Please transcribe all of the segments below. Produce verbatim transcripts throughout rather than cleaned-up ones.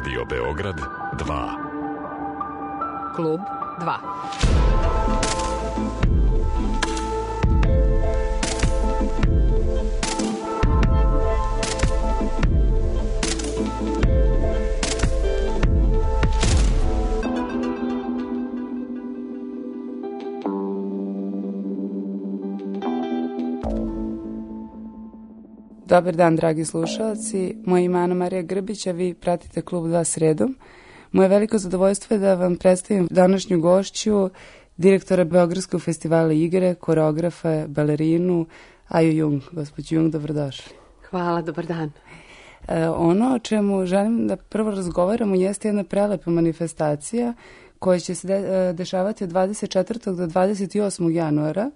Radio Beograd dva. Klub dva. Dobar dan, dragi slušalci. Moje ime je Ana Marija Grbić, a vi pratite Klub dva sredom. Moje veliko zadovoljstvo je da vam predstavim današnju gošću, direktora Beogradskog festivala igre, koreografa, balerinu Aju Jung. Gospođo Jung, dobrodošli. Hvala, dobar dan. E, ono o čemu želim da prvo razgovaramo jeste jedna prelepa manifestacija koja će se de, dešavati od dvadeset četvrtog do dvadeset osmog januara.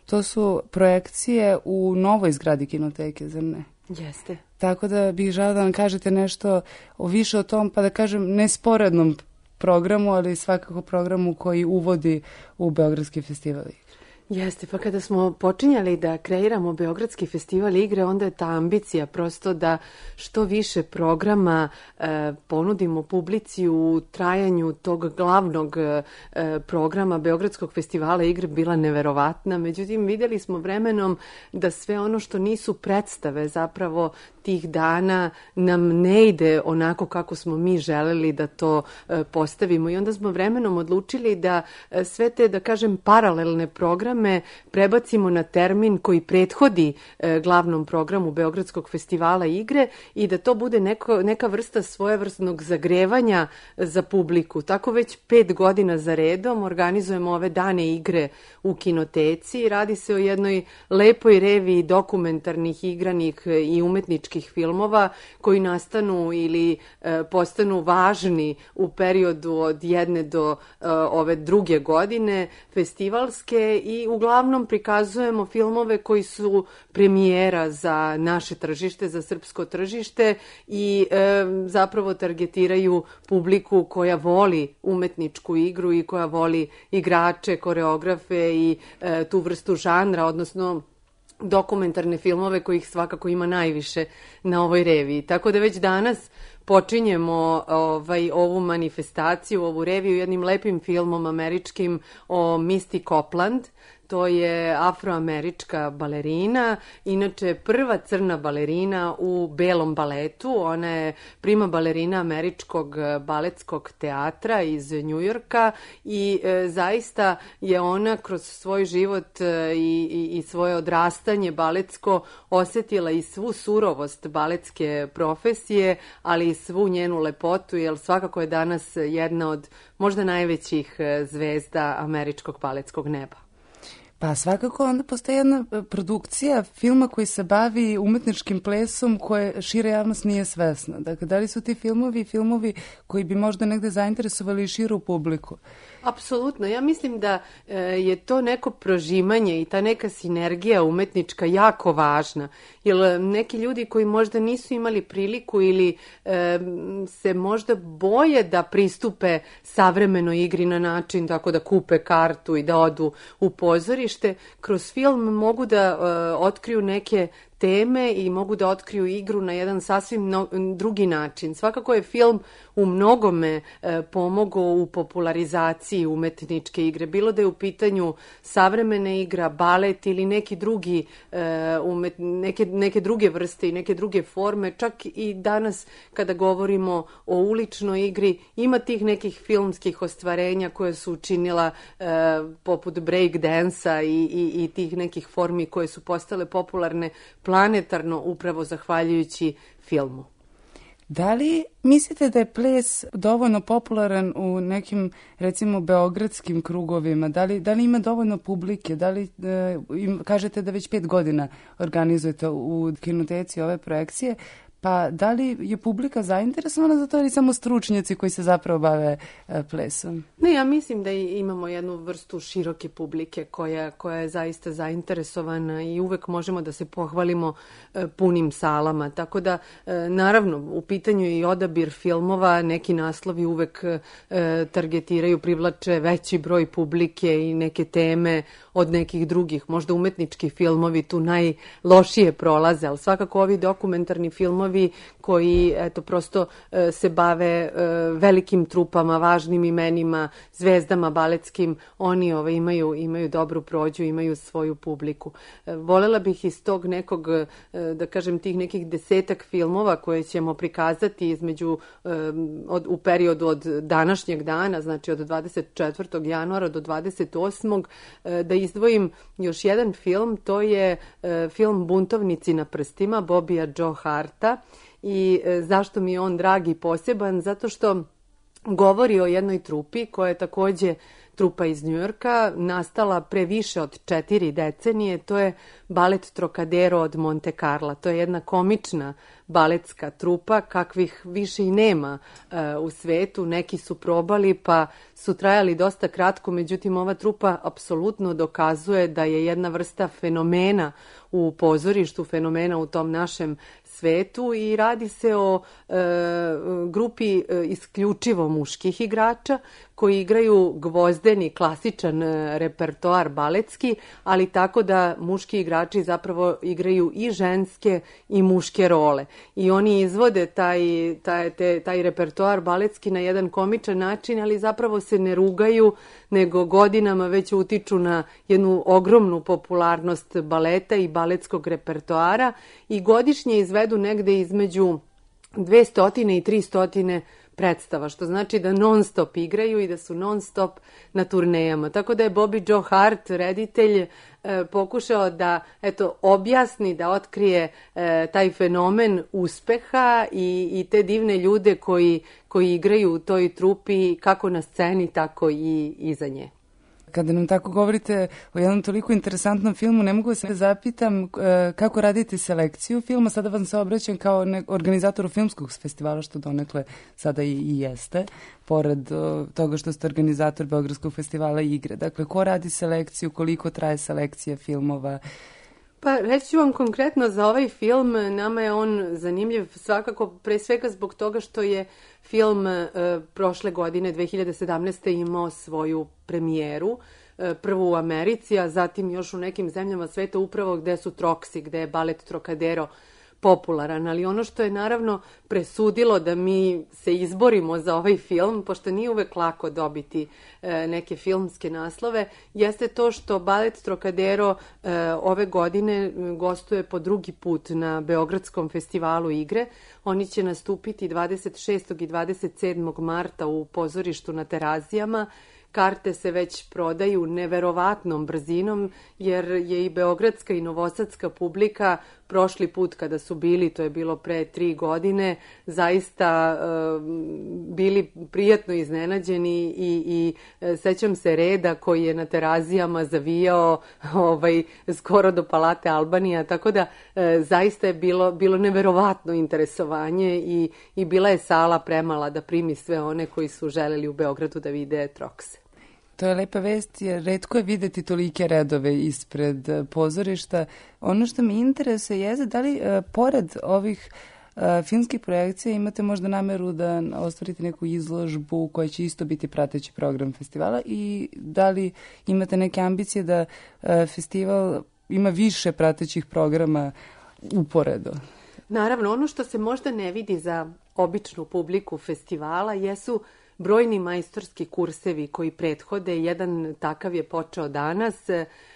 To su projekcije u novoj zgradi kinoteke, zar ne? Jeste. Tako da bih žela da nam kažete nešto o više o tom, pa da kažem, ne sporednom programu, ali svakako programu koji uvodi u Beogradski festival igre. Jeste, pa kada smo počinjali da kreiramo Beogradski festival igre, onda je ta ambicija prosto da što više programa e, ponudimo publici u trajanju tog glavnog e, programa Beogradskog festivala igre bila neverovatna. Međutim, vidjeli smo vremenom da sve ono što nisu predstave zapravo tih dana nam ne ide onako kako smo mi želeli da to e, postavimo. I onda smo vremenom odlučili da e, sve te, da kažem, paralelne programe prebacimo na termin koji prethodi e, glavnom programu Beogradskog festivala igre i da to bude neko, neka vrsta svojevrsnog zagrevanja za publiku. Tako već pet godina za redom organizujemo ove dane igre u kinoteci i radi se o jednoj lepoj reviji dokumentarnih, igranih i umetničkih filmova koji nastanu ili e, postanu važni u periodu od jedne do e, ove druge godine festivalske i uglavnom prikazujemo filmove koji su premijera za naše tržište, za srpsko tržište i e, zapravo targetiraju publiku koja voli umetničku igru i koja voli igrače, koreografe i e, tu vrstu žanra, odnosno dokumentarne filmove kojih svakako ima najviše na ovoj reviji. Tako da već danas počinjemo ovaj, ovu manifestaciju, ovu reviju jednim lepim filmom američkim o Misty Copeland. To je afroamerička balerina, inače prva crna balerina u belom baletu. Ona je prima balerina američkog baletskog teatra iz Njujorka i e, zaista je ona kroz svoj život e, i, i svoje odrastanje baletsko osjetila i svu surovost baletske profesije, ali i svu njenu lepotu, jer svakako je danas jedna od možda najvećih zvezda američkog baletskog neba. Pa svakako onda postoji jedna produkcija filma koji se bavi umetničkim plesom koje šira javnost nije svesna. Dakle, da li su ti filmovi filmovi koji bi možda negde zainteresovali i širu publiku? Apsolutno. Ja mislim da e, je to neko prožimanje i ta neka sinergija umetnička jako važna. Jer neki ljudi koji možda nisu imali priliku ili e, se možda boje da pristupe savremenoj igri na način tako da kupe kartu i da odu u pozorište, kroz film mogu da e, otkriju neke teme i mogu da otkriju igru na jedan sasvim no, drugi način. Svakako je film u mnogome e, pomogao u popularizaciji umetničke igre. Bilo da je u pitanju savremena igra, balet ili neki drugi, e, umet, neke, neke druge vrste i neke druge forme. Čak i danas kada govorimo o uličnoj igri ima tih nekih filmskih ostvarenja koje su učinila e, poput break dansa i, i, i tih nekih formi koje su postale popularne planetarno upravo zahvaljujući filmu. Da li mislite da je ples dovoljno popularan u nekim, recimo, beogradskim krugovima? Da li, da li ima dovoljno publike? Da li, e, im, kažete da već pet godina organizujete u kinoteci ove projekcije, pa da li je publika zainteresovana za to ili samo stručnjaci koji se zapravo bave e, plesom? Ne, ja mislim da imamo jednu vrstu široke publike koja, koja je zaista zainteresovana i uvek možemo da se pohvalimo e, punim salama. Tako da, e, naravno, u pitanju i odabir filmova, neki naslovi uvek e, targetiraju, privlače veći broj publike i neke teme od nekih drugih. Možda umetnički filmovi tu najlošije prolaze, ali svakako ovi dokumentarni filmovi članovi koji eto prosto e, se bave e, velikim trupama, važnim imenima, zvezdama baletskim, oni ovaj, imaju, imaju dobru prođu, imaju svoju publiku. E, volela bih iz tog nekog, e, da kažem, tih nekih desetak filmova koje ćemo prikazati između e, od, u periodu od današnjeg dana, znači od dvadeset četvrtog januara do dvadeset osmog e, da izdvojim još jedan film, to je e, film Buntovnici na prstima Bobija Joe Harta. I e, zašto mi je on drag i poseban? Zato što govori o jednoj trupi koja je takođe trupa iz Njujorka, nastala pre više od četiri decenije. To je balet Trocadero od Monte Carla. To je jedna komična baletska trupa kakvih više i nema e, u svetu. Neki su probali pa su trajali dosta kratko, međutim ova trupa apsolutno dokazuje da je jedna vrsta fenomena u pozorištu, fenomena u tom našem svetu i radi se o e, grupi e, isključivo muških igrača koji igraju gvozdeni, klasičan e, repertoar baletski, ali tako da muški igrači zapravo igraju i ženske i muške role. I oni izvode taj, taj, te, taj repertoar baletski na jedan komičan način, ali zapravo se ne rugaju, nego godinama već utiču na jednu ogromnu popularnost baleta i baletskog repertoara i godišnje izvedu negde između dvesta i trista predstava, što znači da non stop igraju i da su non stop na turnejama. Tako da je Bobby Joe Hart, reditelj, e, pokušao da eto, objasni, da otkrije e, taj fenomen uspeha i, i te divne ljude koji, koji igraju u toj trupi kako na sceni, tako i iza nje. Kada nam tako govorite o jednom toliko interesantnom filmu, ne mogu se zapitam kako radite selekciju filma. Sada vam se obraćam kao organizatoru filmskog festivala, što donekle sada i, i jeste, pored toga što ste organizator Beogradskog festivala igre. Dakle, ko radi selekciju, koliko traje selekcija filmova? Pa reći ću vam konkretno za ovaj film, nama je on zanimljiv svakako pre svega zbog toga što je film e, prošle godine dve hiljade sedamnaeste. imao svoju premijeru, e, prvu u Americi, a zatim još u nekim zemljama sveta upravo gde su Troksi, gde je balet Trocadero popularan, ali ono što je naravno presudilo da mi se izborimo za ovaj film, pošto nije uvek lako dobiti e, neke filmske naslove, jeste to što balet Trocadero e, ove godine gostuje po drugi put na Beogradskom festivalu igre. Oni će nastupiti dvadeset šestog i dvadeset sedmog marta u pozorištu na Terazijama. Karte se već prodaju neverovatnom brzinom, jer je i beogradska i novosadska publika prošli put kada su bili, to je bilo pre tri godine, zaista e, bili prijatno iznenađeni i, i e, sećam se reda koji je na Terazijama zavijao ovaj, skoro do Palate Albanija, tako da e, zaista je bilo, bilo neverovatno interesovanje i, i bila je sala premala da primi sve one koji su želeli u Beogradu da vide Trokse. To je lepa vest, jer retko je videti tolike redove ispred pozorišta. Ono što me interesuje je da li uh, pored ovih uh, filmskih projekcija imate možda nameru da ostvarite neku izložbu koja će isto biti prateći program festivala i da li imate neke ambicije da uh, festival ima više pratećih programa uporedo? Naravno, ono što se možda ne vidi za običnu publiku festivala jesu brojni majstorski kursevi koji prethode. Jedan takav je počeo danas.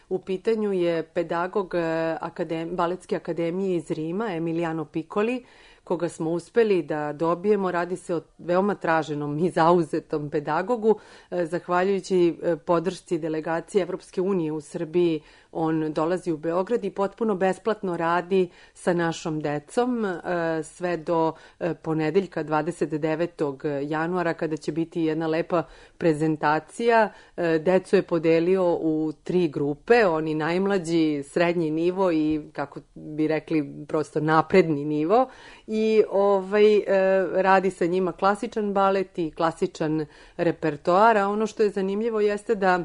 U pitanju je pedagog akadem, Baletske akademije iz Rima, Emiliano Piccoli, koga smo uspeli da dobijemo. Radi se o veoma traženom i zauzetom pedagogu. Zahvaljujući podršci delegacije Evropske unije u Srbiji, on dolazi u Beograd i potpuno besplatno radi sa našom decom sve do ponedeljka dvadeset devetog januara kada će biti jedna lepa prezentacija. Decu je podelio u tri grupe, oni najmlađi, srednji nivo i kako bi rekli prosto napredni nivo i ovaj, radi sa njima klasičan balet i klasičan repertoar, a ono što je zanimljivo jeste da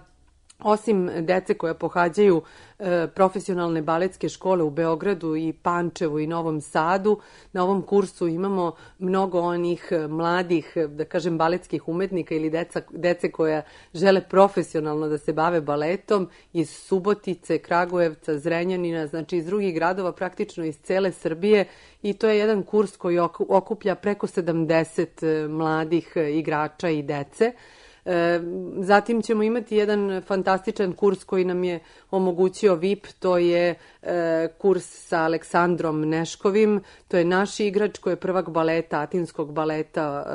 Osim dece koja pohađaju e, profesionalne baletske škole u Beogradu i Pančevu i Novom Sadu, na ovom kursu imamo mnogo onih mladih, da kažem, baletskih umetnika ili deca, dece koja žele profesionalno da se bave baletom iz Subotice, Kragujevca, Zrenjanina, znači iz drugih gradova, praktično iz cele Srbije, i to je jedan kurs koji okuplja preko sedamdeset mladih igrača i dece. Zatim ćemo imati jedan fantastičan kurs koji nam je omogućio V I P, to je kurs sa Aleksandrom Neškovim, to je naš igrač koji je prvak baleta, atinskog baleta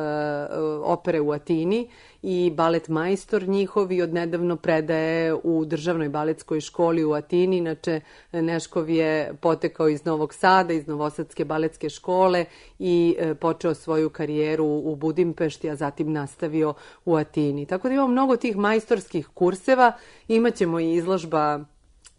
opere u Atini i balet majstor njihov i odnedavno predaje u državnoj baletskoj školi u Atini. Inače, Neškov je potekao iz Novog Sada, iz Novosadske baletske škole i počeo svoju karijeru u Budimpešti, a zatim nastavio u Atini. Tako da imamo mnogo tih majstorskih kurseva, imaćemo i izložba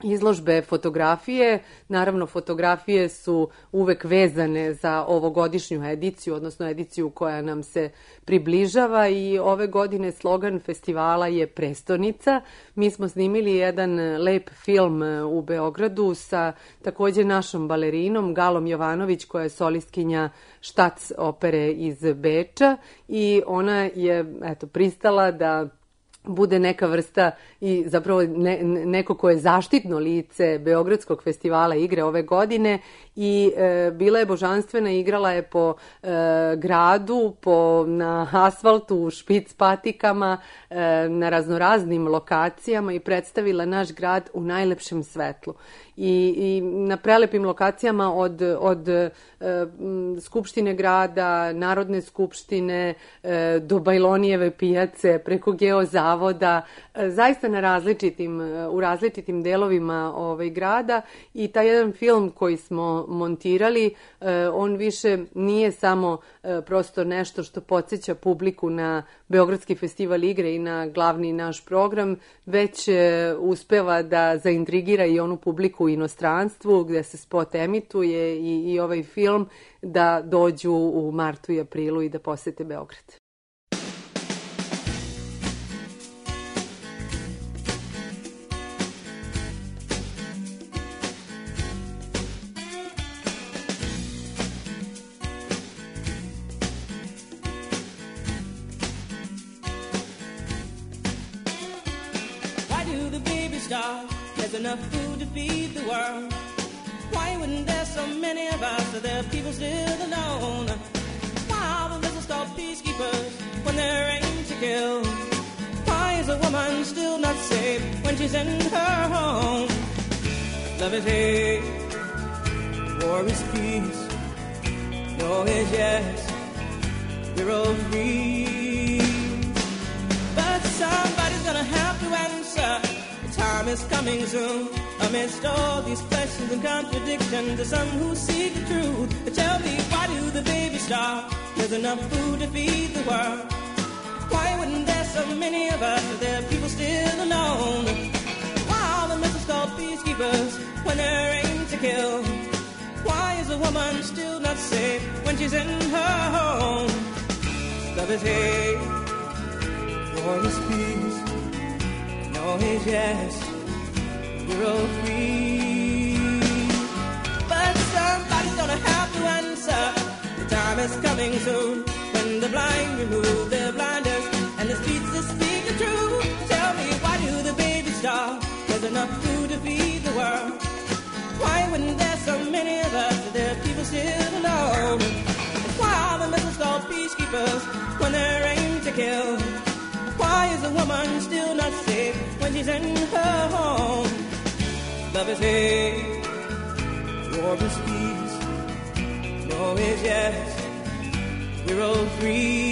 Izložbe fotografije. Naravno, fotografije su uvek vezane za ovogodišnju ediciju, odnosno ediciju koja nam se približava, i ove godine slogan festivala je Prestonica. Mi smo snimili jedan lep film u Beogradu sa takođe našom balerinom Galom Jovanović, koja je solistkinja Štac opere iz Beča, i ona je eto pristala da bude neka vrsta i zapravo ne, neko ko je zaštitno lice Beogradskog festivala igre ove godine, i e, bila je božanstvena, igrala je po e, gradu, po, na asfaltu, u špic patikama, e, na raznoraznim lokacijama i predstavila naš grad u najlepšem svetlu. I, i na prelepim lokacijama od, od e, Skupštine grada, Narodne skupštine, e, do Bajlonijeve pijace, preko Geozavoda, e, zaista na različitim, u različitim delovima ovaj, grada, i taj jedan film koji smo montirali, e, on više nije samo e, prosto nešto što podsjeća publiku na Beogradski festival igre i na glavni naš program, već e, uspeva da zaintrigira i onu publiku u inostranstvu gde se spot emituje, i, i ovaj film, da dođu u martu i aprilu i da posete Beograd. There's enough food to feed the world. Why wouldn't there so many of us, so there are people still alone? Why are the missiles called peacekeepers when they're aimed to kill? Why is a woman still not safe when she's in her home? Love is hate, war is peace. No is yes, we're all free. But somebody's gonna have to answer. Time is coming soon. Amidst all these questions and contradictions, there's some who seek the truth. But tell me, why do the babies starve? There's enough food to feed the world. Why wouldn't there so many of us, if there are people still alone? Why are the missiles called peacekeepers when they're aimed to kill? Why is a woman still not safe when she's in her home? Love is hate, war is peace. No is yes, we're all free. But somebody's gonna have to answer. The time is coming soon when the blind remove their blinders and the streets that speak the truth. Tell me, why do the babies starve? There's enough food to feed the world. Why wouldn't there so many of us, if there are people still alone? And why are the missiles called peacekeepers when they're aimed to kill? Why is a woman still not safe when she's in her home? Love is hate, war is peace. No is yes, we're all free.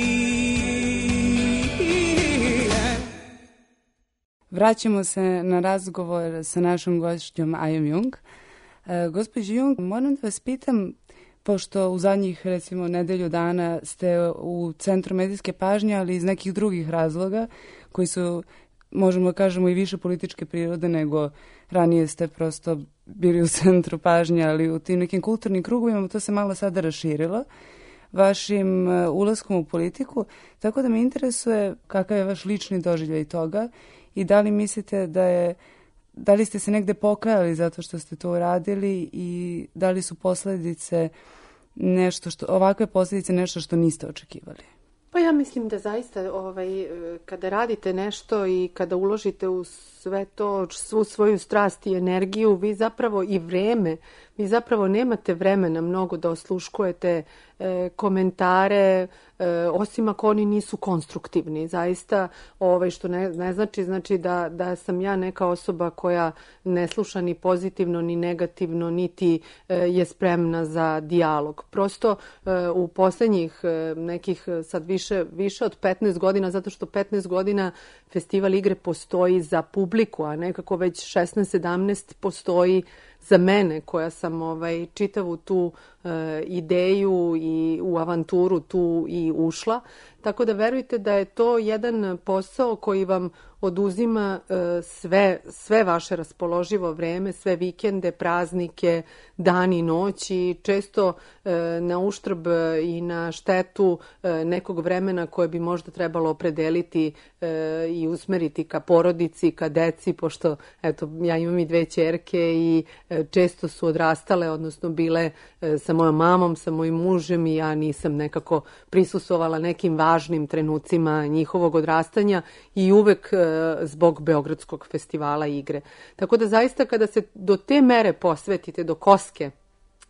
Vraćamo se na razgovor sa našom gošćom Ajom Jung. E, gospođo Jung, moram da vas pitam, pošto u zadnjih, recimo, nedelju dana ste u centru medijske pažnje, ali iz nekih drugih razloga, koji su, možemo da kažemo, i više političke prirode nego ranije ste prosto bili u centru pažnje, ali u tim nekim kulturnim krugovima to se malo sada raširilo vašim ulaskom u politiku, tako da me interesuje kakav je vaš lični doživljaj toga i da li mislite da je, da li ste se negde pokajali zato što ste to uradili i da li su posledice nešto što, ovakve posljedice nešto što niste očekivali? Pa ja mislim da zaista ovaj, kada radite nešto i kada uložite u sve to, svu svoju strast i energiju, vi zapravo i vreme, vi zapravo nemate vremena mnogo da osluškujete e, komentare, e, osim ako oni nisu konstruktivni. Zaista, ovaj, što ne, ne znači, znači da, da sam ja neka osoba koja ne sluša ni pozitivno, ni negativno, niti e, je spremna za dijalog. Prosto e, u posljednjih e, nekih sad više, više od petnaest godina, zato što petnaest godina Festival igre postoji za publiku, a nekako već šesnaest sedamnaest postoji za mene, koja sam ovaj, čitavu tu e, ideju i u avanturu tu i ušla. Tako da verujte da je to jedan posao koji vam oduzima e, sve, sve vaše raspoloživo vreme, sve vikende, praznike, dan i noć i često e, na uštrb i na štetu e, nekog vremena koje bi možda trebalo opredeliti e, i usmeriti ka porodici, ka deci, pošto eto, ja imam i dve ćerke i e, često su odrastale, odnosno bile e, sa mojom mamom, sa mojim mužem i ja nisam nekako prisustvovala nekim važnim trenucima njihovog odrastanja i uvek e, zbog Beogradskog festivala igre. Tako da zaista kada se do te mere posvetite, do koske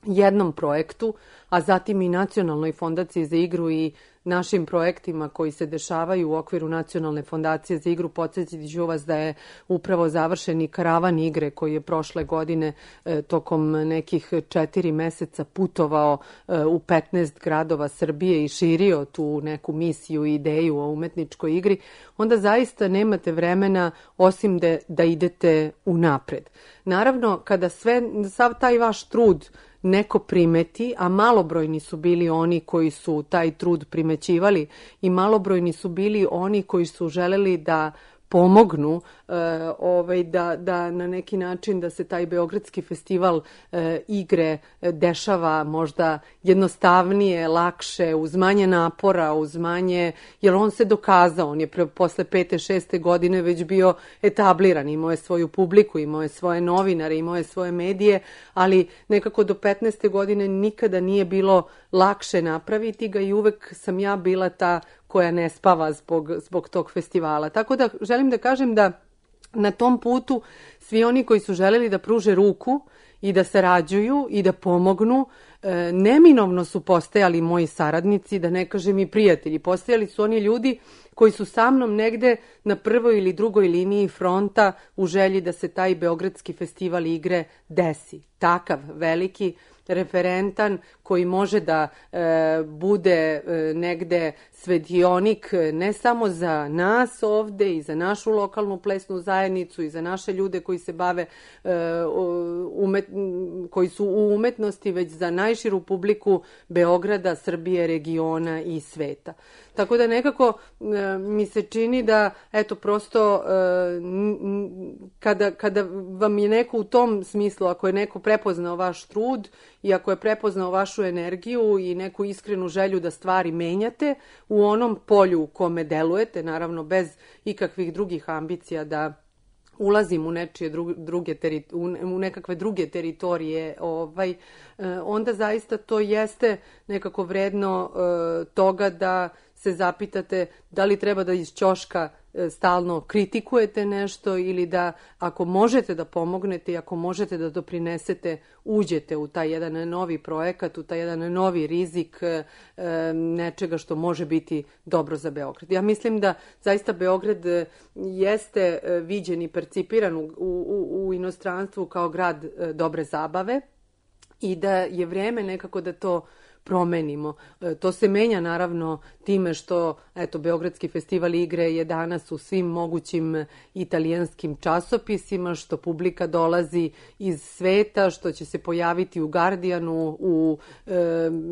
jednom projektu, a zatim i Nacionalnoj fondaciji za igru i našim projektima koji se dešavaju u okviru Nacionalne fondacije za igru, podsjetiti ću vas da je upravo završeni karavan igre koji je prošle godine e, tokom nekih četiri meseca putovao e, u petnaest gradova Srbije i širio tu neku misiju i ideju o umetničkoj igri, onda zaista nemate vremena osim da, da idete unapred. Naravno, kada sve, sav taj vaš trud neko primeti, a malobrojni su bili oni koji su taj trud primećivali i malobrojni su bili oni koji su želeli da pomognu e, ovaj, da, da na neki način da se taj Beogradski festival e, igre dešava možda jednostavnije, lakše, uz manje napora, uz manje, jer on se dokazao, on je pre, posle pete, šeste godine već bio etabliran, imao je svoju publiku, imao je svoje novinare, imao je svoje medije, ali nekako do petnaeste godine nikada nije bilo lakše napraviti ga i uvek sam ja bila ta koja ne spava zbog, zbog tog festivala. Tako da želim da kažem da na tom putu svi oni koji su želeli da pruže ruku i da sarađuju i da pomognu, e, neminovno su postajali moji saradnici, da ne kažem i prijatelji. Postajali su oni ljudi koji su sa mnom negde na prvoj ili drugoj liniji fronta u želji da se taj Beogradski festival igre desi. Takav veliki, referentan, koji može da e, bude e, negde svetionik ne samo za nas ovde i za našu lokalnu plesnu zajednicu i za naše ljude koji se bave e, umet, koji su u umetnosti, već za najširu publiku Beograda, Srbije, regiona i sveta. Tako da nekako e, mi se čini da eto prosto e, kada, kada vam je neko u tom smislu, ako je neko prepoznao vaš trud i ako je prepoznao vašu energiju i neku iskrenu želju da stvari menjate u onom polju u kome delujete, naravno bez ikakvih drugih ambicija da ulazim u nečije druge, druge teri, u nekakve druge teritorije, ovaj, onda zaista to jeste nekako vredno e, toga da se zapitate da li treba da iz ćoška stalno kritikujete nešto ili da ako možete da pomognete i ako možete da doprinesete, uđete u taj jedan novi projekat, u taj jedan novi rizik e, nečega što može biti dobro za Beograd. Ja mislim da zaista Beograd jeste viđen i percipiran u, u, u inostranstvu kao grad dobre zabave i da je vreme nekako da to promenimo. To se menja naravno time što eto Beogradski festival igre je danas u svim mogućim italijanskim časopisima, što publika dolazi iz sveta, što će se pojaviti u Guardianu, u e,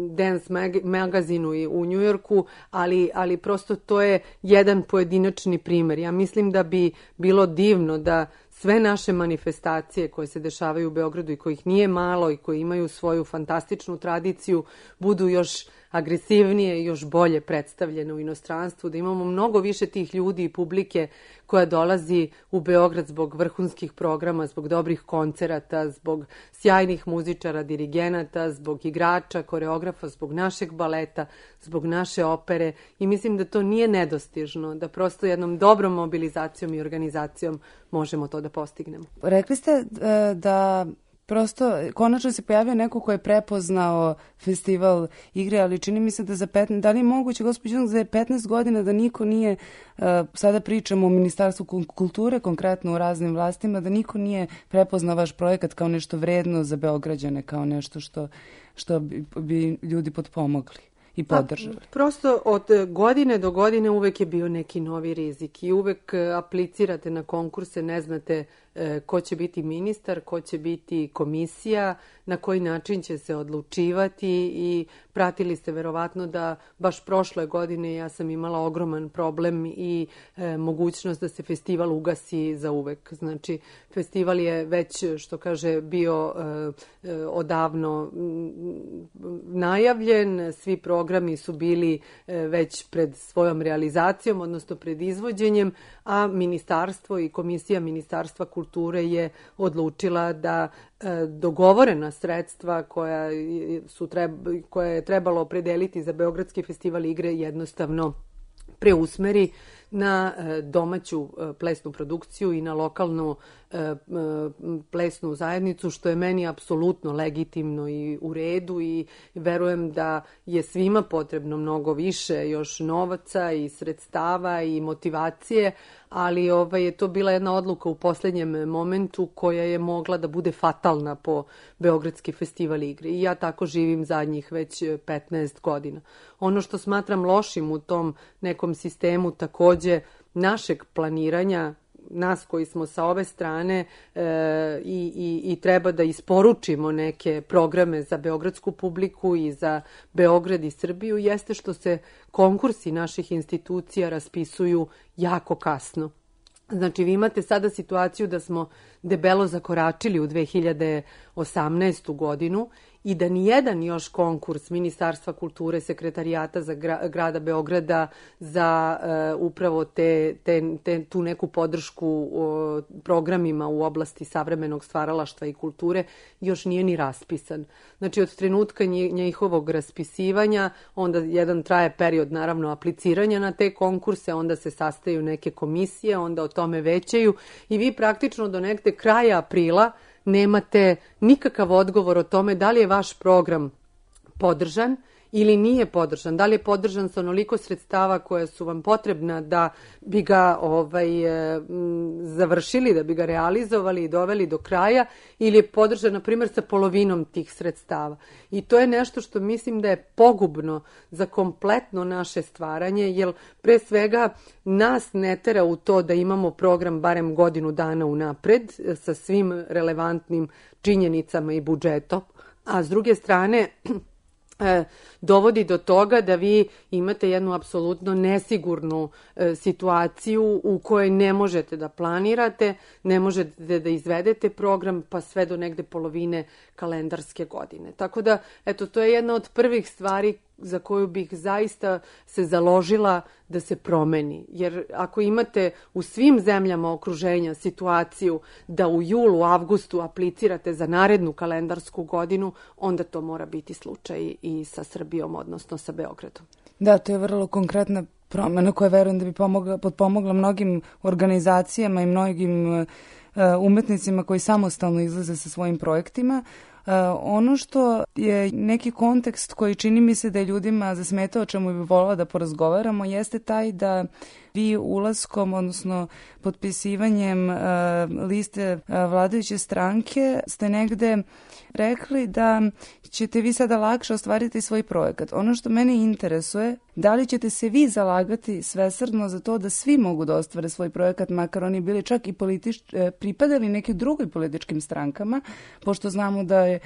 Dance mag- magazinu i u Njujorku, ali, ali prosto to je jedan pojedinačni primer. Ja mislim da bi bilo divno da sve naše manifestacije koje se dešavaju u Beogradu i kojih nije malo i koji imaju svoju fantastičnu tradiciju budu još agresivnije i još bolje predstavljene u inostranstvu, da imamo mnogo više tih ljudi i publike koja dolazi u Beograd zbog vrhunskih programa, zbog dobrih koncerata, zbog sjajnih muzičara, dirigenata, zbog igrača, koreografa, zbog našeg baleta, zbog naše opere i mislim da to nije nedostižno, da prosto jednom dobrom mobilizacijom i organizacijom možemo to da postignemo. Rekli ste da prosto konačno se pojavio neko ko je prepoznao festival igre, ali čini mi se da za petnaest, da li je moguće, gospođo, za petnaest godina da niko nije, sada pričamo o Ministarstvu kulture, konkretno u raznim vlastima, da niko nije prepoznao vaš projekat kao nešto vredno za Beograđane, kao nešto što, što bi, bi ljudi potpomogli i podržali. Pa, prosto od godine do godine uvek je bio neki novi rizik i uvek aplicirate na konkurse, ne znate e, ko će biti ministar, ko će biti komisija, na koji način će se odlučivati i pratili ste verovatno da baš prošle godine ja sam imala ogroman problem i e, mogućnost da se festival ugasi za uvek. Znači, festival je već, što kaže, bio e, e, odavno najavljen, svi programi su bili e, već pred svojom realizacijom, odnosno pred izvođenjem, a ministarstvo i komisija Ministarstva kulture je odlučila da e, dogovorena sredstva koja, su treba, koja je trebalo opredeliti za Beogradski festival igre jednostavno preusmeri na domaću plesnu produkciju i na lokalnu plesnu zajednicu, što je meni apsolutno legitimno i u redu i verujem da je svima potrebno mnogo više još novaca i sredstava i motivacije, ali ovaj, je to bila jedna odluka u poslednjem momentu koja je mogla da bude fatalna po Beogradski festival igre i ja tako živim zadnjih već petnaest godina. Ono što smatram lošim u tom nekom sistemu takođe našeg planiranja, nas koji smo sa ove strane e, i, i, i treba da isporučimo neke programe za beogradsku publiku i za Beograd i Srbiju, jeste što se konkursi naših institucija raspisuju jako kasno. Znači, vi imate sada situaciju da smo debelo zakoračili u dve hiljade osamnaestu godinu i da nijedan još konkurs Ministarstva kulture, Sekretarijata za gra, grada Beograda za uh, upravo te, te, te, tu neku podršku uh, programima u oblasti savremenog stvaralaštva i kulture još nije ni raspisan. Znači, od trenutka njihovog raspisivanja, onda jedan traje period, naravno, apliciranja na te konkurse, onda se sastaju neke komisije, onda o tome većaju i vi praktično do negde kraja aprila nemate nikakav odgovor o tome da li je vaš program podržan ili nije podržan, da li je podržan sa onoliko sredstava koja su vam potrebna da bi ga ovaj, završili, da bi ga realizovali i doveli do kraja, ili je podržan, na primjer, sa polovinom tih sredstava. I to je nešto što mislim da je pogubno za kompletno naše stvaranje, jer pre svega nas ne tera u to da imamo program barem godinu dana unapred sa svim relevantnim činjenicama i budžetom, a s druge strane E, dovodi do toga da vi imate jednu apsolutno nesigurnu e, situaciju u kojoj ne možete da planirate, ne možete da izvedete program pa sve do negde polovine kalendarske godine. Tako da, eto, to je jedna od prvih stvari za koju bih zaista se založila da se promeni. Jer ako imate u svim zemljama okruženja situaciju da u julu, avgustu aplicirate za narednu kalendarsku godinu, onda to mora biti slučaj i sa Srbijom, odnosno sa Beogradom. Da, to je vrlo konkretna promena koja verujem da bi pomogla, potpomogla mnogim organizacijama i mnogim uh, umetnicima koji samostalno izlaze sa svojim projektima. Uh, ono što je neki kontekst koji čini mi se da je ljudima zasmetao, o čemu bi volila da porazgovaramo, jeste taj da vi ulaskom, odnosno potpisivanjem uh, liste uh, vladajuće stranke ste negde rekli da ćete vi sada lakše ostvariti svoj projekat. Ono što mene interesuje, da li ćete se vi zalagati svesrdno za to da svi mogu da ostvare svoj projekat, makar oni bili čak i politič, pripadali nekim drugim političkim strankama, pošto znamo da je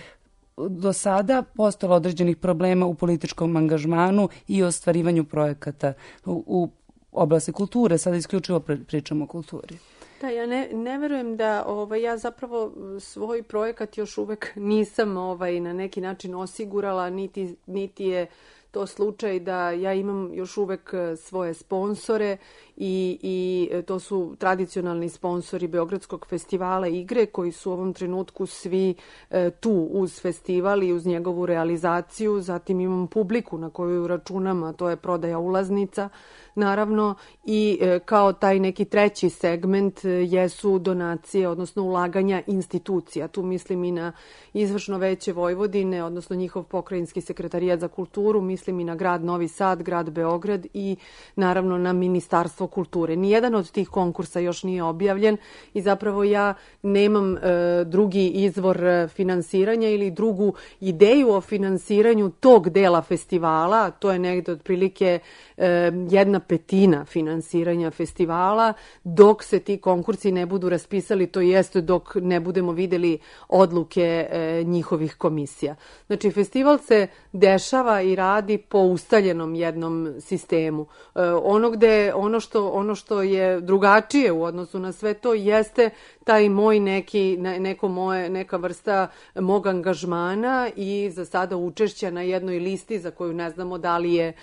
do sada postojalo određenih problema u političkom angažmanu i ostvarivanju projekata u, u oblasti kulture. Sada isključivo pričamo o kulturi. Da, ja ne, ne verujem da ovaj, ja zapravo svoj projekat još uvek nisam ovaj, na neki način osigurala, niti, niti je to slučaj da ja imam još uvek svoje sponsore i, i to su tradicionalni sponsori Beogradskog festivala igre koji su u ovom trenutku svi e, tu uz festival i uz njegovu realizaciju. Zatim imam publiku na koju računam, a to je prodaja ulaznica, naravno, i e, kao taj neki treći segment e, jesu donacije, odnosno ulaganja institucija. Tu mislim i na Izvršno veće Vojvodine, odnosno njihov pokrajinski sekretarijat za kulturu, mislim i na grad Novi Sad, grad Beograd i naravno na Ministarstvo kulture. Nijedan od tih konkursa još nije objavljen i zapravo ja nemam e, drugi izvor finansiranja ili drugu ideju o finansiranju tog dela festivala. To je negde otprilike e, jedna petina finansiranja festivala dok se ti konkursi ne budu raspisali, to jeste dok ne budemo videli odluke e, njihovih komisija. Znači, festival se dešava i radi po ustaljenom jednom sistemu. E, ono, gde, ono, što, ono što je drugačije u odnosu na sve to jeste taj moj neki, neko moje, neka vrsta mog angažmana i za sada učešća na jednoj listi za koju ne znamo da li je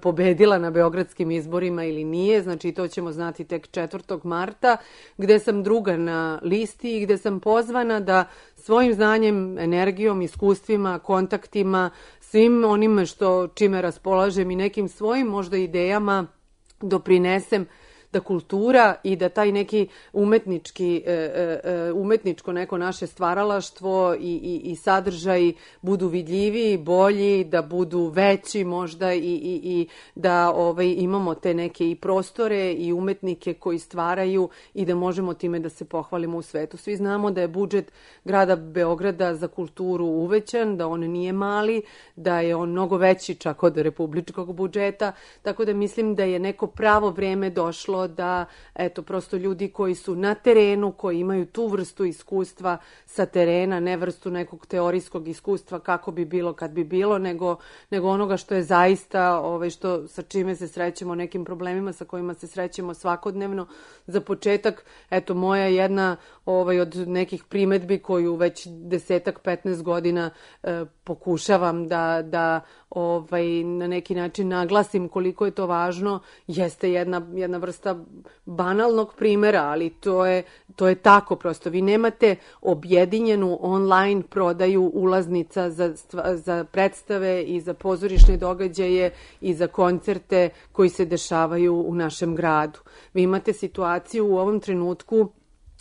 pobedila na beogradskim izborima ili nije, znači to ćemo znati tek četvrtog marta, gde sam druga na listi i gde sam pozvana da svojim znanjem, energijom, iskustvima, kontaktima, svim onime što čime raspolažem i nekim svojim možda idejama doprinesem da kultura i da taj neki umetnički, umetničko neko naše stvaralaštvo i, i, i sadržaj budu vidljiviji, bolji, da budu veći možda i, i, i da ovaj, imamo te neke i prostore i umetnike koji stvaraju i da možemo time da se pohvalimo u svetu. Svi znamo da je budžet grada Beograda za kulturu uvećan, da on nije mali, da je on mnogo veći čak od republičkog budžeta, tako da mislim da je neko pravo vreme došlo da, eto, prosto ljudi koji su na terenu, koji imaju tu vrstu iskustva sa terena, ne vrstu nekog teorijskog iskustva kako bi bilo kad bi bilo, nego, nego onoga što je zaista, ovaj, što, sa čime se srećemo, nekim problemima sa kojima se srećemo svakodnevno. Za početak, eto, moja jedna ovaj, od nekih primetbi koju već desetak, petnaest godina e, pokušavam da, da ovaj, na neki način naglasim koliko je to važno, jeste jedna, jedna vrsta banalnog primjera, ali to je, to je tako prosto. Vi nemate objedinjenu online prodaju ulaznica za, za predstave i za pozorišne događaje i za koncerte koji se dešavaju u našem gradu. Vi imate situaciju u ovom trenutku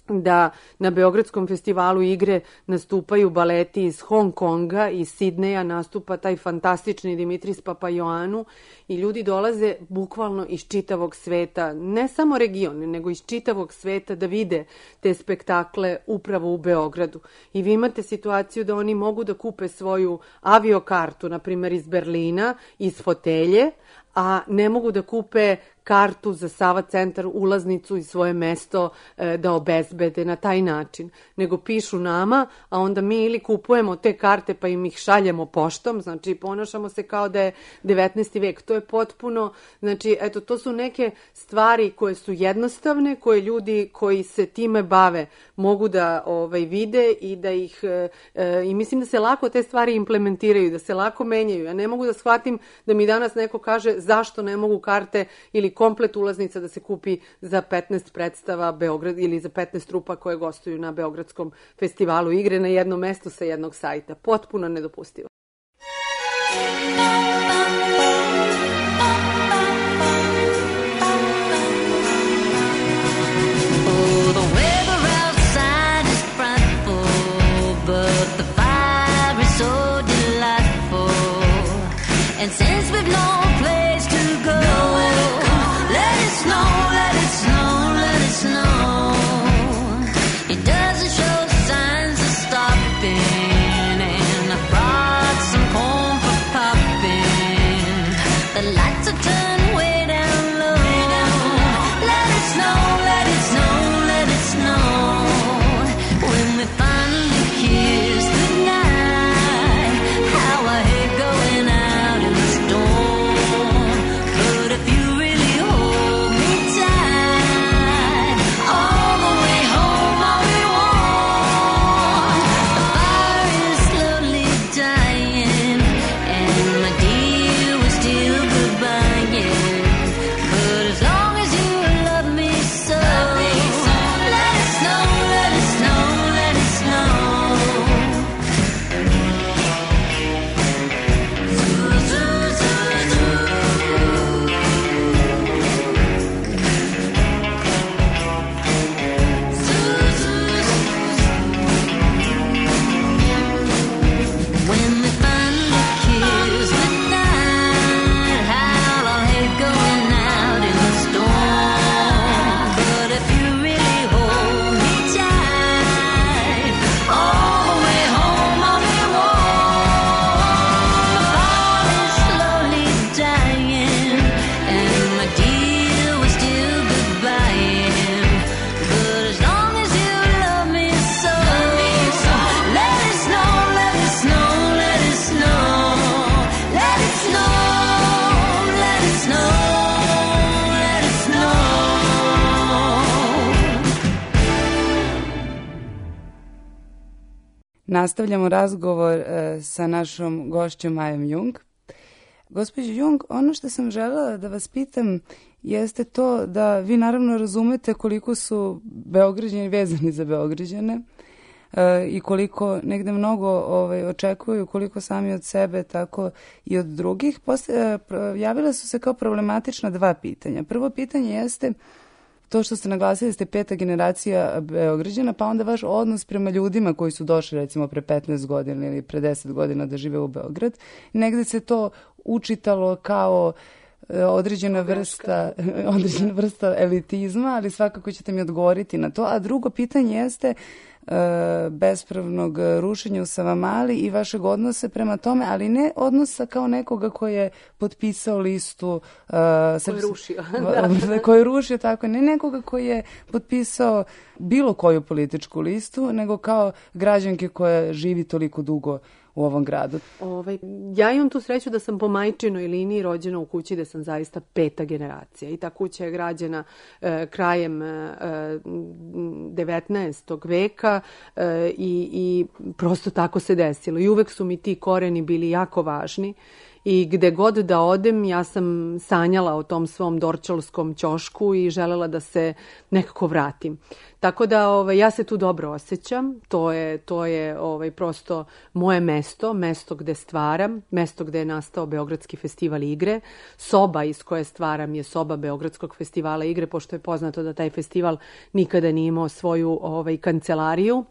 da na Beogradskom festivalu igre nastupaju baleti iz Hong Konga, iz Sidneja nastupa taj fantastični Dimitris Papaioannou i ljudi dolaze bukvalno iz čitavog sveta, ne samo regione, nego iz čitavog sveta da vide te spektakle upravo u Beogradu. I vi imate situaciju da oni mogu da kupe svoju aviokartu, na primjer iz Berlina, iz fotelje, a ne mogu da kupe kartu za Sava centar, ulaznicu i svoje mesto e, da obezbede na taj način, nego pišu nama, a onda mi ili kupujemo te karte pa im ih šaljemo poštom, znači ponašamo se kao da je devetnaesti vek. To je potpuno, znači eto, to su neke stvari koje su jednostavne, koje ljudi koji se time bave mogu da ovaj, vide i da ih, e, e, i mislim da se lako te stvari implementiraju, da se lako menjaju. Ja ne mogu da shvatim da mi danas neko kaže zašto ne mogu karte ili komplet ulaznica da se kupi za petnaest predstava Beograd ili za petnaest trupa koje gostuju na Beogradskom festivalu igre na jednom mestu sa jednog sajta. Potpuno nedopustivo. And since we've no place to go, let it snow, let it snow, let it snow. It doesn't show signs of stopping, and I brought some corn for popping. The lights are turned way down low. Let it snow, let it snow, let it snow. When we finally kiss goodnight, how I hate going out in the storm. nastavljamo razgovor e, sa našom gošćom Majom Jung. Gospođo Jung, ono što sam želela da vas pitam jeste to da vi naravno razumete koliko su Beograđani vezani za Beograđane e, i koliko negde mnogo ovaj, očekuju, koliko sami od sebe, tako i od drugih. Posle, javila su se kao problematična dva pitanja. Prvo pitanje jeste to što ste naglasili da ste peta generacija Beograđana, pa onda vaš odnos prema ljudima koji su došli recimo pre petnaest godina ili pre deset godina da žive u Beograd. Negde se to učitalo kao određena vrsta, određena vrsta elitizma, ali svakako ćete mi odgovoriti na to. A drugo pitanje jeste e, bespravnog rušenja u Savamali i vašeg odnosa prema tome, ali ne odnosa kao nekoga koji je potpisao listu e, koji je rušio. da. koji je rušio, tako, ne nekoga koji je potpisao bilo koju političku listu, nego kao građanke koja živi toliko dugo u ovom gradu. Ovaj, ja imam tu sreću da sam po majčinoj liniji rođena u kući da sam zaista peta generacija i ta kuća je građena e, krajem e, devetnaestog veka e, i, i prosto tako se desilo. I uvek su mi ti koreni bili jako važni. I gde god da odem, ja sam sanjala o tom svom dorčalskom ćošku i želela da se nekako vratim. Tako da ovaj, ja se tu dobro osjećam. To je, to je ovaj, prosto moje mesto, mesto gde stvaram, mesto gde je nastao Beogradski festival igre. Soba iz koje stvaram je soba Beogradskog festivala igre, pošto je poznato da taj festival nikada nije imao svoju ovaj, kancelariju.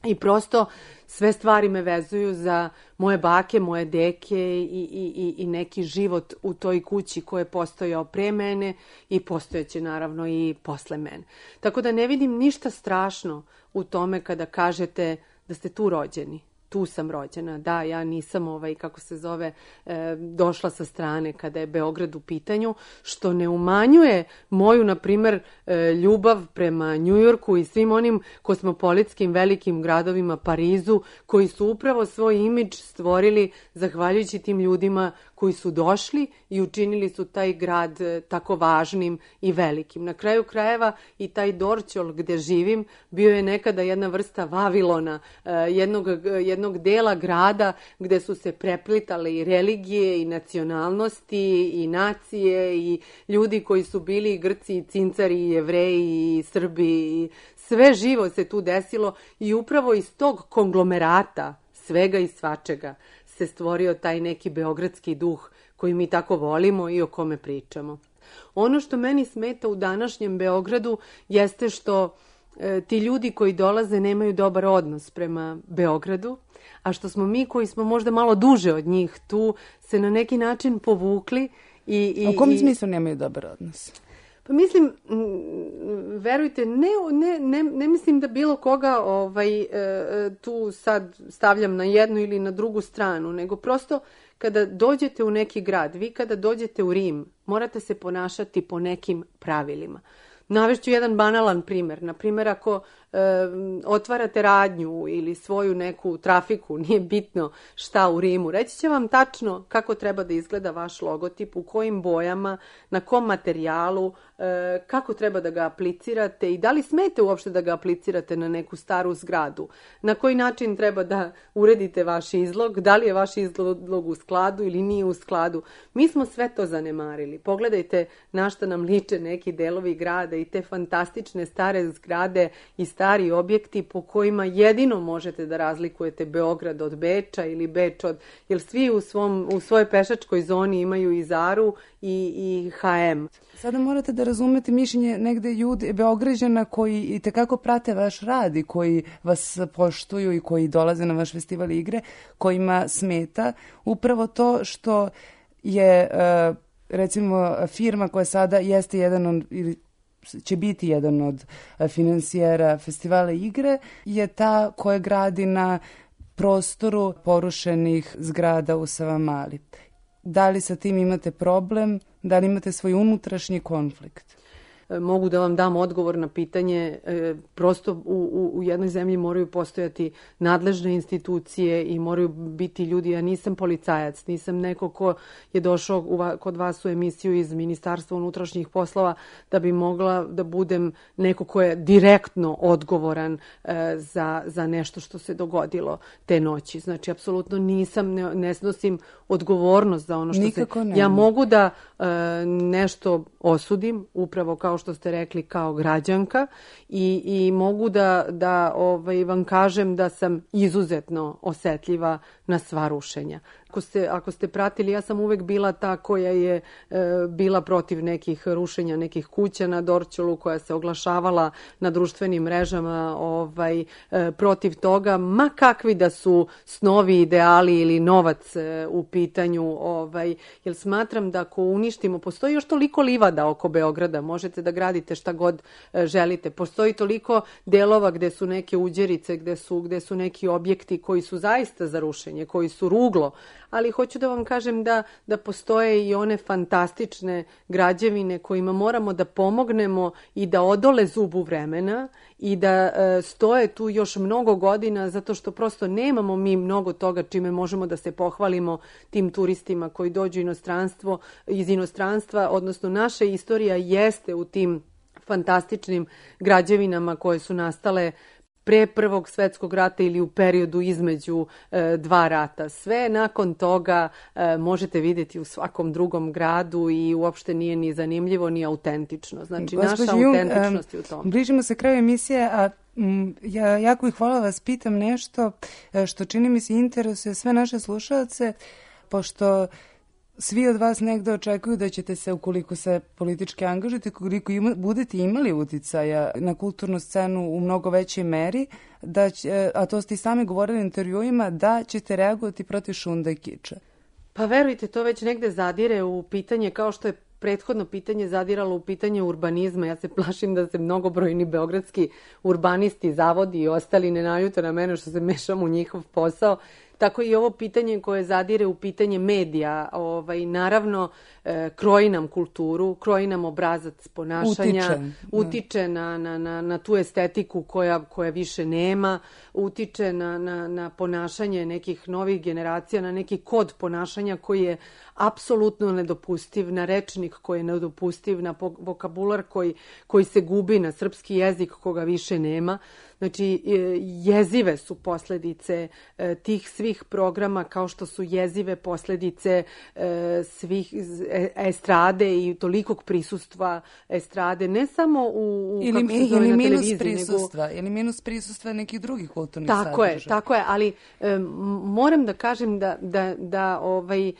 I prosto sve stvari me vezuju za moje bake, moje deke i, i, i neki život u toj kući koji je postojao pre mene i postojeće naravno i posle mene. Tako da ne vidim ništa strašno u tome kada kažete da ste tu rođeni. Tu sam rođena, da, ja nisam, ovaj, kako se zove, e, došla sa strane kada je Beograd u pitanju, što ne umanjuje moju, na primer, e, ljubav prema Njujorku i svim onim kosmopolitskim velikim gradovima, Parizu, koji su upravo svoj imidž stvorili zahvaljujući tim ljudima koji su došli i učinili su taj grad e, tako važnim i velikim. Na kraju krajeva i taj Dorćol gde živim bio je nekada jedna vrsta Vavilona, e, jednog, jednog jednog dela grada gde su se preplitale i religije i nacionalnosti i nacije i ljudi koji su bili i Grci i Cincari i Jevreji i Srbi i sve živo se tu desilo i upravo iz tog konglomerata svega i svačega se stvorio taj neki beogradski duh koji mi tako volimo i o kome pričamo. Ono što meni smeta u današnjem Beogradu jeste što e, ti ljudi koji dolaze nemaju dobar odnos prema Beogradu, a što smo mi koji smo možda malo duže od njih tu se na neki način povukli. I, i, u kom i... smislu nemaju dobar odnos? Pa mislim, verujte, ne, ne, ne, ne mislim da bilo koga ovaj, tu sad stavljam na jednu ili na drugu stranu, nego prosto kada dođete u neki grad, vi kada dođete u Rim, morate se ponašati po nekim pravilima. Navešću jedan banalan primer. Na primjer, ako e, otvarate radnju ili svoju neku trafiku, nije bitno šta u Rimu, reći će vam tačno kako treba da izgleda vaš logotip, u kojim bojama, na kom materijalu, e, kako treba da ga aplicirate i da li smete uopšte da ga aplicirate na neku staru zgradu, na koji način treba da uredite vaš izlog, da li je vaš izlog u skladu ili nije u skladu. Mi smo sve to zanemarili. Pogledajte na šta nam liče neki delovi grada i te fantastične stare zgrade i stari objekti po kojima jedino možete da razlikujete Beograd od Beča ili Beč od... Jer svi u, svom, u svojoj pešačkoj zoni imaju i Zaru i, i ha em. Sada morate da razumete mišljenje negde ljudi, Beograđana koji i tekako prate vaš rad i koji vas poštuju i koji dolaze na vaš festival igre, kojima smeta upravo to što je recimo firma koja sada jeste jedan od, ili će biti jedan od finansijera festivala igre, je ta koja gradi na prostoru porušenih zgrada u Savamali. Da li sa tim imate problem? Da li imate svoj unutrašnji konflikt? e, mogu da vam dam odgovor na pitanje. E, prosto u, u, u jednoj zemlji moraju postojati nadležne institucije i moraju biti ljudi. Ja nisam policajac, nisam neko ko je došao u, kod vas u emisiju iz Ministarstva unutrašnjih poslova da bi mogla da budem neko ko je direktno odgovoran e, za, za nešto što se dogodilo te noći. Znači, apsolutno nisam, ne, ne snosim odgovornost za ono što Nikako se... Ne. Ja mogu da e, nešto osudim, upravo kao što ste rekli, kao građanka i, i mogu da, da ovaj, vam kažem da sam izuzetno osetljiva na sva rušenja. Ako ste, ako ste pratili, ja sam uvek bila ta koja je e, bila protiv nekih rušenja, nekih kuća na Dorćolu, koja se oglašavala na društvenim mrežama ovaj, e, protiv toga, ma kakvi da su snovi, ideali ili novac e, u pitanju, ovaj, jer smatram da ako uništimo, postoji još toliko livada oko Beograda, možete da gradite šta god e, želite, postoji toliko delova gde su neke uđerice, gde su, gde su neki objekti koji su zaista za rušenje, koji su ruglo, ali hoću da vam kažem da, da postoje i one fantastične građevine kojima moramo da pomognemo i da odole zubu vremena i da e, stoje tu još mnogo godina, zato što prosto nemamo mi mnogo toga čime možemo da se pohvalimo tim turistima koji dođu inostranstvo, iz inostranstva, odnosno naša istorija jeste u tim fantastičnim građevinama koje su nastale pre Prvog svetskog rata ili u periodu između e, dva rata. Sve nakon toga e, možete vidjeti u svakom drugom gradu i uopšte nije ni zanimljivo ni autentično. Znači, Gospođo naša Jung, autentičnost je u tom. Bližimo se kraju emisije, a m, ja jako bih hvala vas pitam nešto što čini mi se interesuje sve naše slušalce, pošto svi od vas negde očekuju da ćete se, ukoliko se politički angažujete, ukoliko ima, budete imali uticaja na kulturnu scenu u mnogo većoj meri, da će, a to ste i sami govorili u intervjuima, da ćete reagovati protiv šunda i kiča. Pa verujte, to već negde zadire u pitanje, kao što je prethodno pitanje zadiralo u pitanje urbanizma. Ja se plašim da se mnogobrojni beogradski urbanisti, zavodi i ostali ne naljute na mene što se mešam u njihov posao. Tako i ovo pitanje koje zadire u pitanje medija, ovaj, naravno e, kroji nam kulturu, kroji nam obrazac ponašanja, utiče, utiče na, na, na, na tu estetiku koja, koja više nema, utiče na, na, na ponašanje nekih novih generacija, na neki kod ponašanja koji je apsolutno nedopustiv, na rečnik koji je nedopustiv, na vokabular koji, koji se gubi, na srpski jezik koga više nema. Znači, jezive su posledice tih svih programa, kao što su jezive posledice svih estrade i tolikog prisustva estrade, ne samo u, u ili, kako se zove, ili na minus televiziji, prisustva, nego... ili minus prisustva nekih drugih kulturnih tako sadržaja. Je, tako je, ali um, moram da kažem da, da, da ovaj,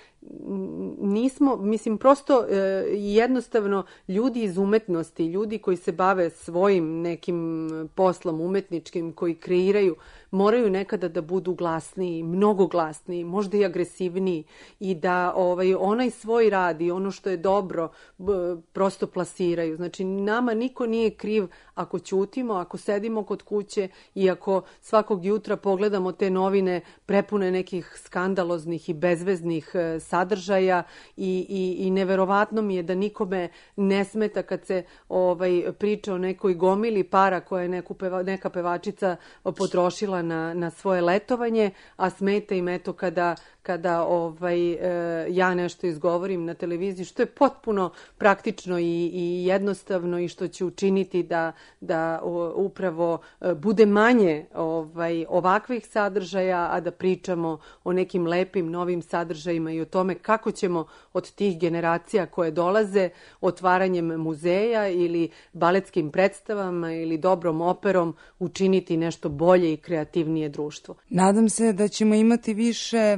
nismo, mislim, prosto e, jednostavno ljudi iz umetnosti, ljudi koji se bave svojim nekim poslom umetničkim, koji kreiraju, moraju nekada da budu glasniji, mnogo glasniji, možda i agresivniji i da ovaj, onaj svoj rad i ono što je dobro b, prosto plasiraju. Znači, nama niko nije kriv ako ćutimo, ako sedimo kod kuće i ako svakog jutra pogledamo te novine prepune nekih skandaloznih i bezveznih e, sadržaja i, i, i neverovatno mi je da nikome ne smeta kad se ovaj, priča o nekoj gomili para koje je neku peva, neka pevačica potrošila na, na svoje letovanje, a smeta im eto kada, kada ovaj, e, ja nešto izgovorim na televiziji, što je potpuno praktično i, i jednostavno i što će učiniti da, da o, upravo e, bude manje ovaj, ovakvih sadržaja, a da pričamo o nekim lepim novim sadržajima i o tome kako ćemo od tih generacija koje dolaze otvaranjem muzeja ili baletskim predstavama ili dobrom operom učiniti nešto bolje i kreativnije društvo. Nadam se da ćemo imati više,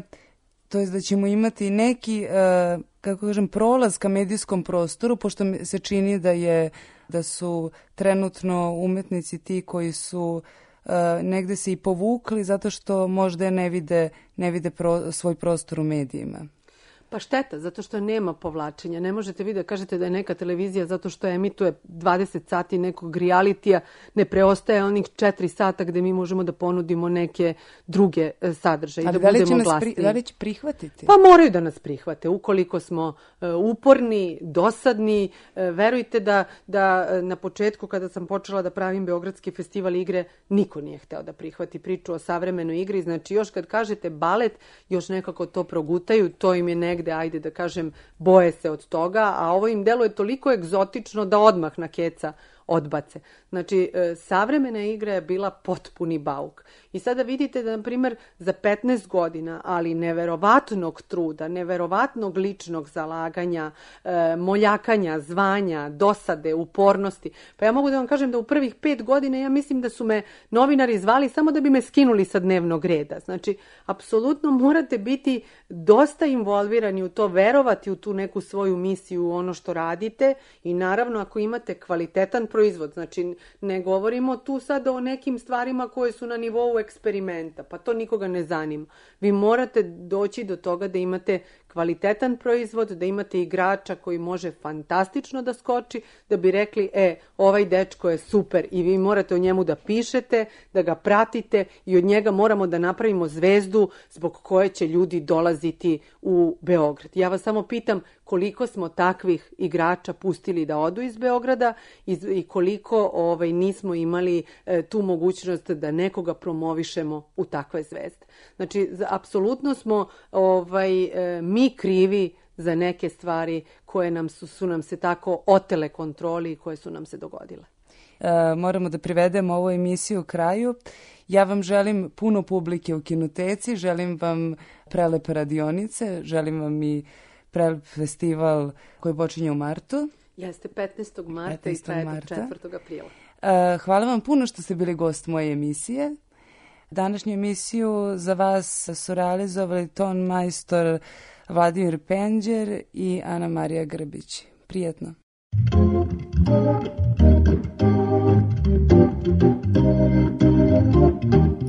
to jest da ćemo imati neki, uh, kako kažem, prolaz ka medijskom prostoru, pošto mi se čini da je da su trenutno umetnici ti koji su uh, negde se i povukli zato što možda ne vide, ne vide pro, svoj prostor u medijima. Pa šteta, zato što nema povlačenja. Ne možete vi da kažete da je neka televizija zato što emituje dvadeset sati nekog realitija, ne preostaje onih četiri sata gde mi možemo da ponudimo neke druge e, sadržaje i da, da li budemo će glasniji. Pri, da li će prihvatiti? Pa moraju da nas prihvate. Ukoliko smo e, uporni, dosadni, e, verujte da, da e, na početku kada sam počela da pravim Beogradski festival igre, niko nije hteo da prihvati priču o savremenoj igri. Znači još kad kažete balet, još nekako to progutaju, to im je negde, ajde da kažem, boje se od toga, a ovo im deluje toliko egzotično da odmah na keca odbace. Znači, e, savremena igra je bila potpuni bauk. I sada vidite da, na primjer, za petnaest godina, ali neverovatnog truda, neverovatnog ličnog zalaganja, e, moljakanja, zvanja, dosade, upornosti. Pa ja mogu da vam kažem da u prvih pet godina ja mislim da su me novinari zvali samo da bi me skinuli sa dnevnog reda. Znači, apsolutno morate biti dosta involvirani u to, verovati u tu neku svoju misiju, u ono što radite i naravno ako imate kvalitetan proizvod, znači ne govorimo tu sad o nekim stvarima koje su na nivou eksperimenta, pa to nikoga ne zanima. Vi morate doći do toga da imate kvalitetan proizvod, da imate igrača koji može fantastično da skoči, da bi rekli, e, ovaj dečko je super i vi morate o njemu da pišete, da ga pratite i od njega moramo da napravimo zvezdu zbog koje će ljudi dolaziti u Beograd. Ja vas samo pitam koliko smo takvih igrača pustili da odu iz Beograda i, i koliko ovaj, nismo imali e, tu mogućnost da nekoga promovišemo u takve zvezde. Znači, apsolutno smo ovaj, e, mi krivi za neke stvari koje nam su, su nam se tako otele kontroli i koje su nam se dogodile. E, moramo da privedemo ovu emisiju kraju. Ja vam želim puno publike u Kinoteci, želim vam prelepe radionice, želim vam i prelep festival koji počinje u martu. Jeste petnaestog marta i traje do četvrtog aprila. E, hvala vam puno što ste bili gost moje emisije. Današnju emisiju za vas su realizovali ton majstor Vladimir Penđer i Ana Marija Grbić. Prijetno.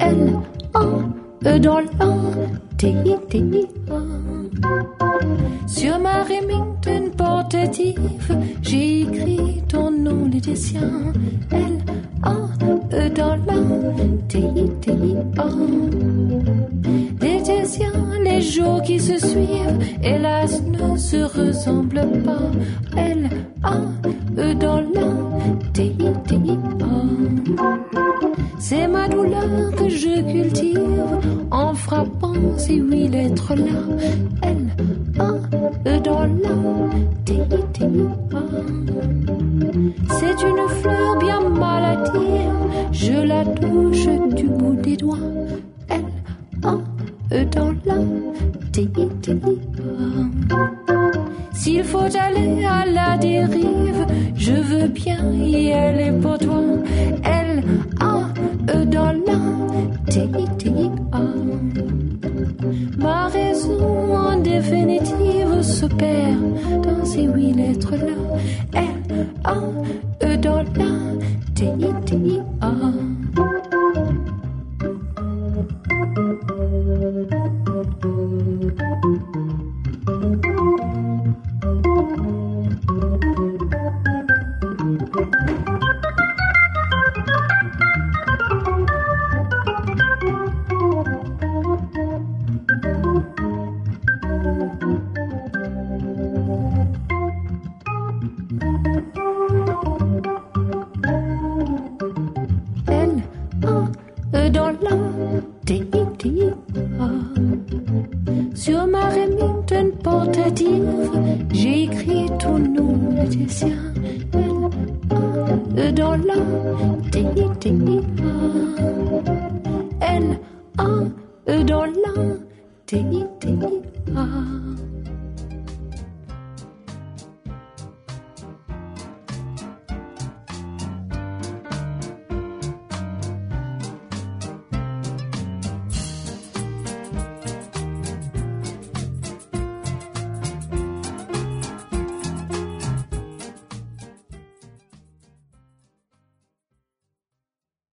L A E dans l'A T I T I A. Sur ma Remington portative, j'ai écrit ton nom, les des siens. L A E dans l'A T I T I A. Les des siens, les jours qui se suivent, hélas, ne se ressemblent pas. L A E dans l'A T I T I A. C'est ma douleur que je cultive en frappant ces huit lettres-là. L A E dans l'A T I T I A. C'est une fleur bien maladive, je la touche du bout des doigts. L A E dans l'A T I T I A. S'il faut aller à la dérive, je veux bien y aller pour toi. L A E dans l'A T I T I A. Ma raison en définitive se perd dans ces huit lettres-là. L A E dans l'A T I T I A. Sur ma Remington portative, j'ai écrit ton nom, le tien. L A E dans l'A T I T I A. L A E dans l'A T I T I A.